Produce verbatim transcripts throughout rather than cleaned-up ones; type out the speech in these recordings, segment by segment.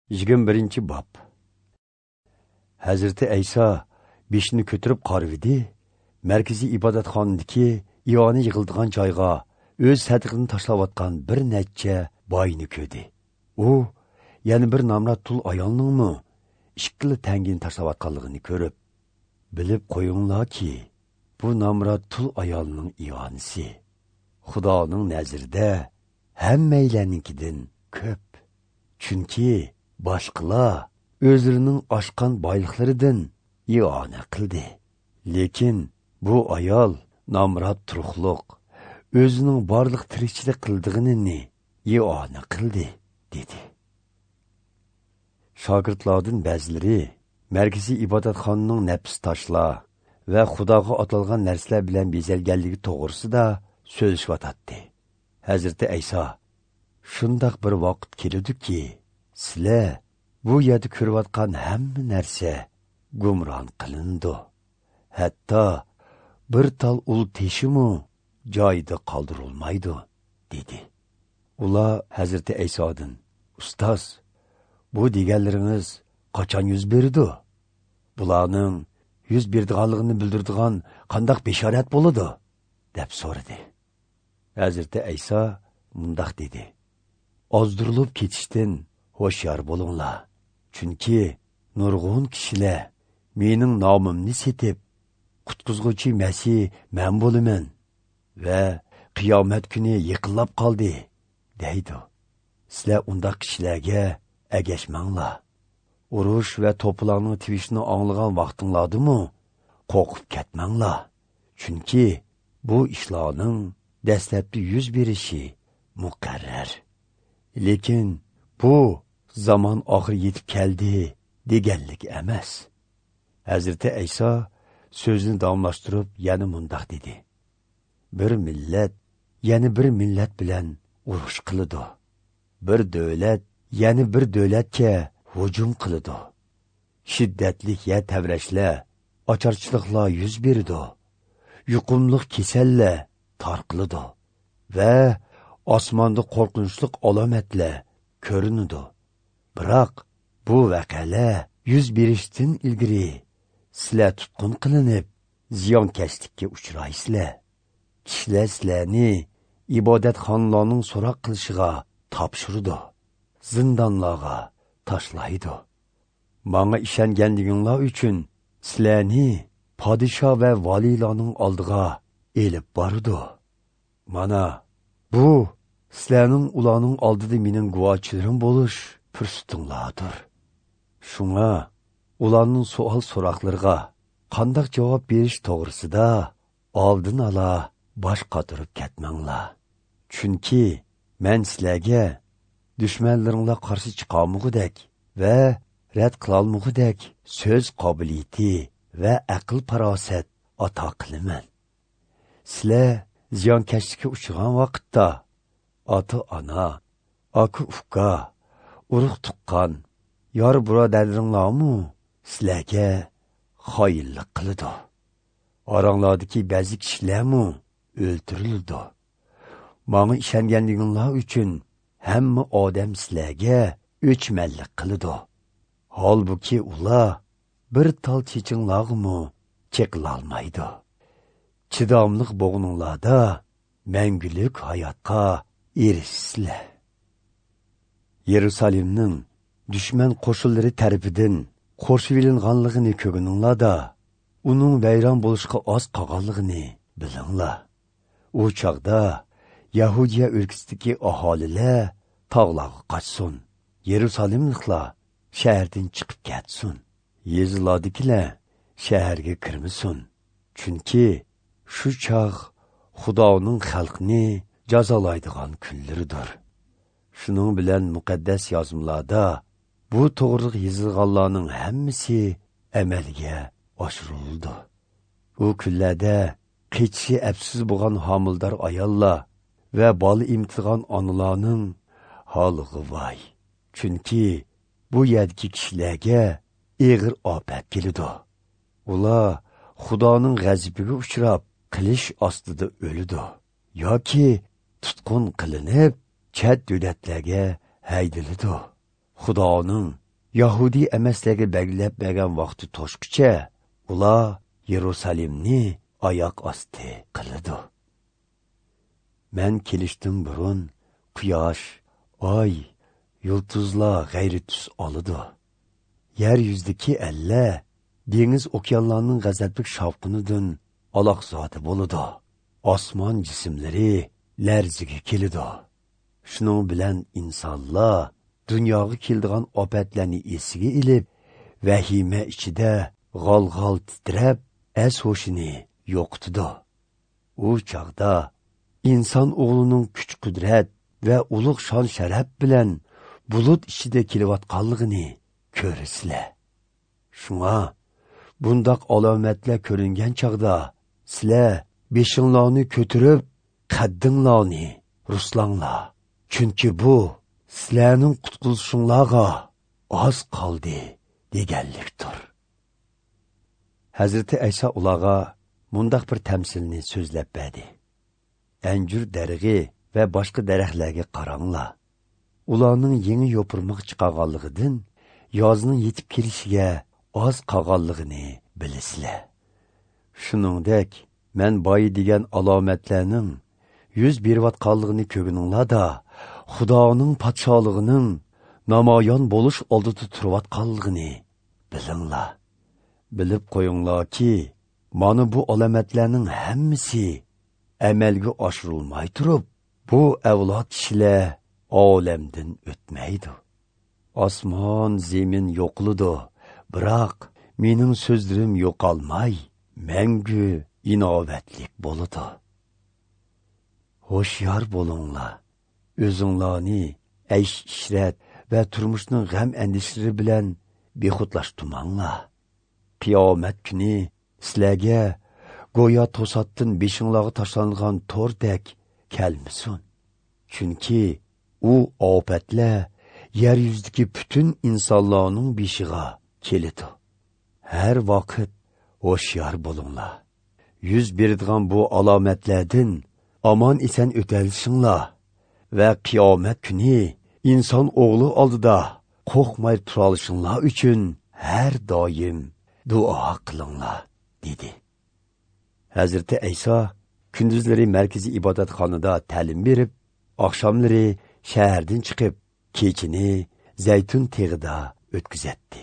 Yigirma birinchi bob. Hazrati Ayso beshini ko'tarib qarivdi, markaziy ibodatxonadagi ioni yig'ildigan joyga o'z sadiqini tashlayotgan bir necha boyni ko'rdi. U yana bir nomrod tul ayolningmi ikkila tangini tashlayotganligini ko'rib, bilib qo'yinglarki, bu nomrod tul ayolning ionisi Xudoning nazarida hammaylarnikidan ko'p. Chunki boshqalar o'zlarining oshgan boyliqlaridan iona qildi. Lekin bu ayol nomrod turuqliq, o'zining barliq tirikchilik qildig'ini iona qildi, dedi. Shogirdlardan ba'zilari markaziy ibodatxonaning nafs toshlar va Xudoga atalgan narsalar bilan bezalganligi to'g'risida so'zlashyotdi. Hazrati Ayso: "Shundoq bir vaqt keladiki, sizlar bu yerda ko'rayotgan hamma narsa gumron qilindi. Hatto bir tal ul teshimu joyida qoldirilmaydi", dedi. Ular Hazrati Aysodan: "Ustoz, bu deganlaringiz qachon yuz berdi? Bularning yuz berdiganligini bildiradigan qandoq bishorat bo'ladi?" deb so'radi. Hazrati Ayso mundoq dedi: "Ozdirilib ketishdan ho'shyor bo'linglar. Chunki nurg'un kishilar mening nomimni setib, qutqizg'uvchi Masih men bo'laman va qiyomat kuni yiqilib qoldi, deydi. Sizlar undaq kishilarga agashmanglar. Urush va to'polonning tivishini anglagan vaqtinglardimi qo'rqib ketmanglar. Chunki bu ishlarning dastlabki yuz berishi muqarrar. Lekin bu zamon oxiri yetib keldi deganlik emas." Hazrati Ayso so'zini davomlashtirib yana mundoq dedi: "Bir millat yana bir millat bilan urush qiladi. Bir davlat yana bir davlatga hujum qiladi. Shiddatli yer tavrashlar, ocharchiliklar yuz beradi. Yuqumliq kasallar tarqaladi va osmonda qo'rqinchli alomatlar ko'rinadi. Biroq bu voqealar yuz berishdan ilgari sizlar tutqun qilinib, ziyonkashlikka uchraysizlar. Kishilar sizlarni ibodatxonalarning so'roq qilishiga topshiradi, zindonlarga tashlaydi. Manga ishonganliginglar uchun sizlarni podsho va valiylarning oldiga elib boradi. Mana bu sizlarning ularning oldida mening guvochilarim bo'lish fursatinglardir. Shunga ularning savol so'roqlariga qandoq javob berish to'g'risida oldin ola bosh qotirib ketmanglar. Chunki men sizlarga dushmanlaringlar qarshi chiqolmug'idek va rad qilolmug'idek so'z qobiliyati va aql farosat ato qilaman. Sizlar ziyonkashlikka uchragan vaqtda ota-ona, aka-uka, urug' tuqqan, yor birodarlaringlarmi sizlarga xoinlik qiladi. Oranglardagi ba'zi kishilarmi o'ltirildi. Manga ishonganliginglar uchun hamma odam sizlarga o'chmanlik qiladi. Holbuki ular bir tal chechinglarmi cheqilolmaydi. Chidamliq bo'g'ininglarda mangulik hayotga erishsizlar." Yerusalimning dushman qo'shinlari tarafidan qo'rshivilinganligini ko'rganinglarda, uning vayron bo'lishga oz qolganligini bilinglar. U chog'da Yahudiya o'lkasidagi aholilar tog'larga qochsin, Yerusalimliklar shahardan chiqib ketsin, yezilardagilar shaharga kirmasin. Chunki shu chog' Xudoning xalqni jazolaydigan kunlaridir. Shuning bilan muqaddas yozmalarda bu to'g'riliq yozilganlarning hammasi amalga oshirildi. U kunlarda qechishi apsiz bo'lgan homildor ayollar va bola emtirgan onalarning holiga voy. Chunki bu yerdagi kishilarga ig'ir ofat keladi. Ular Xudoning g'azabiga uchrab qilish ostida o'ladi yoki tutqun qilinib chet davlatlarga haydaladi. Xudoning Yahudi emaslarga belgilab bergan vaqti to'shqicha ular Yerusalimni oyoq osti qiladi. Men kelishdan burun quyosh, oy, yulduzlar g'ayri tus oladi. Yer yuzidagi ellar dengiz okeanlarning g'azabli shavqinidan aloqzodi bo'ladi. Osmon jismlari larziga keladi. Shuning bilan insonlar dunyoga keladigan ofatlarni esiga ilib, vahima ichida g'al-g'al titrab, es-ho'shini yo'qotadi. U chog'da inson o'g'lining kuch-qudrat va ulug' shon-sharaf bilan bulut ichida kelayotganligini ko'rasizlar. Shunga bundoq alomatlar ko'ringan chog'da sizlar beshinglarni ko'tarib, qaddinglarni ruslanglar. Chunki bu sizlarning qutqizishinglarga oz qoldi deganlikdir. Hazrati Ayso ularga mundaq bir tamsilni so'zlab berdi. Anjur darig'i va boshqa daraxtlarga qaranglar. Ularning yangi yopirmoq chiqarganligidan yozning yetib kelishiga oz qolganligini bilasizlar. Shuningdek, men boyi degan alomatlarning yuz berayotganligini ko'rganinglarda, Xudoning podsholig'ining namoyon bo'lish oldida turayotganligini bilinglar. Bilib qo'yinglarki, mana bu alomatlarning hammasi amalga oshirilmay turib, bu avlod kishilar olamdan o'tmaydi. Osmon, zemin yo'qiladi, biroq mening so'zlarim yo'qolmay, mangu inobatlik bo'ladi. Ho'shyor bo'linglar. O'zinglarni aysh ishrat va turmushning g'am andishlari bilan bexudlashtirmanglar. Qiyomat kuni sizlarga go'yo to'satdan beshinglarga tashlangan to'rdek kelmasin. Chunki u ofatlar yer yuzidagi butun insonlarning beshiga keladi. Har vaqt ho'shyor bo'linglar. Yuz beradigan bu alomatlardan omon eson o'talishinglar va qiyomat kuni inson o'g'li oldida qo'rqmay tura olishinglar uchun har doim duo qilinglar, dedi. Hazrati Ayso kunduzlari markaziy ibodatxonada ta'lim berib, oqshomlari shahardan chiqib, kechini Zaytun tog'ida o'tkazatdi.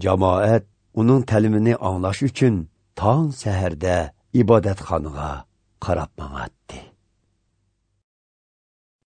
Jamoat uning ta'limini anglash uchun tong saharda ibodatxonaga qarab mang'atdi.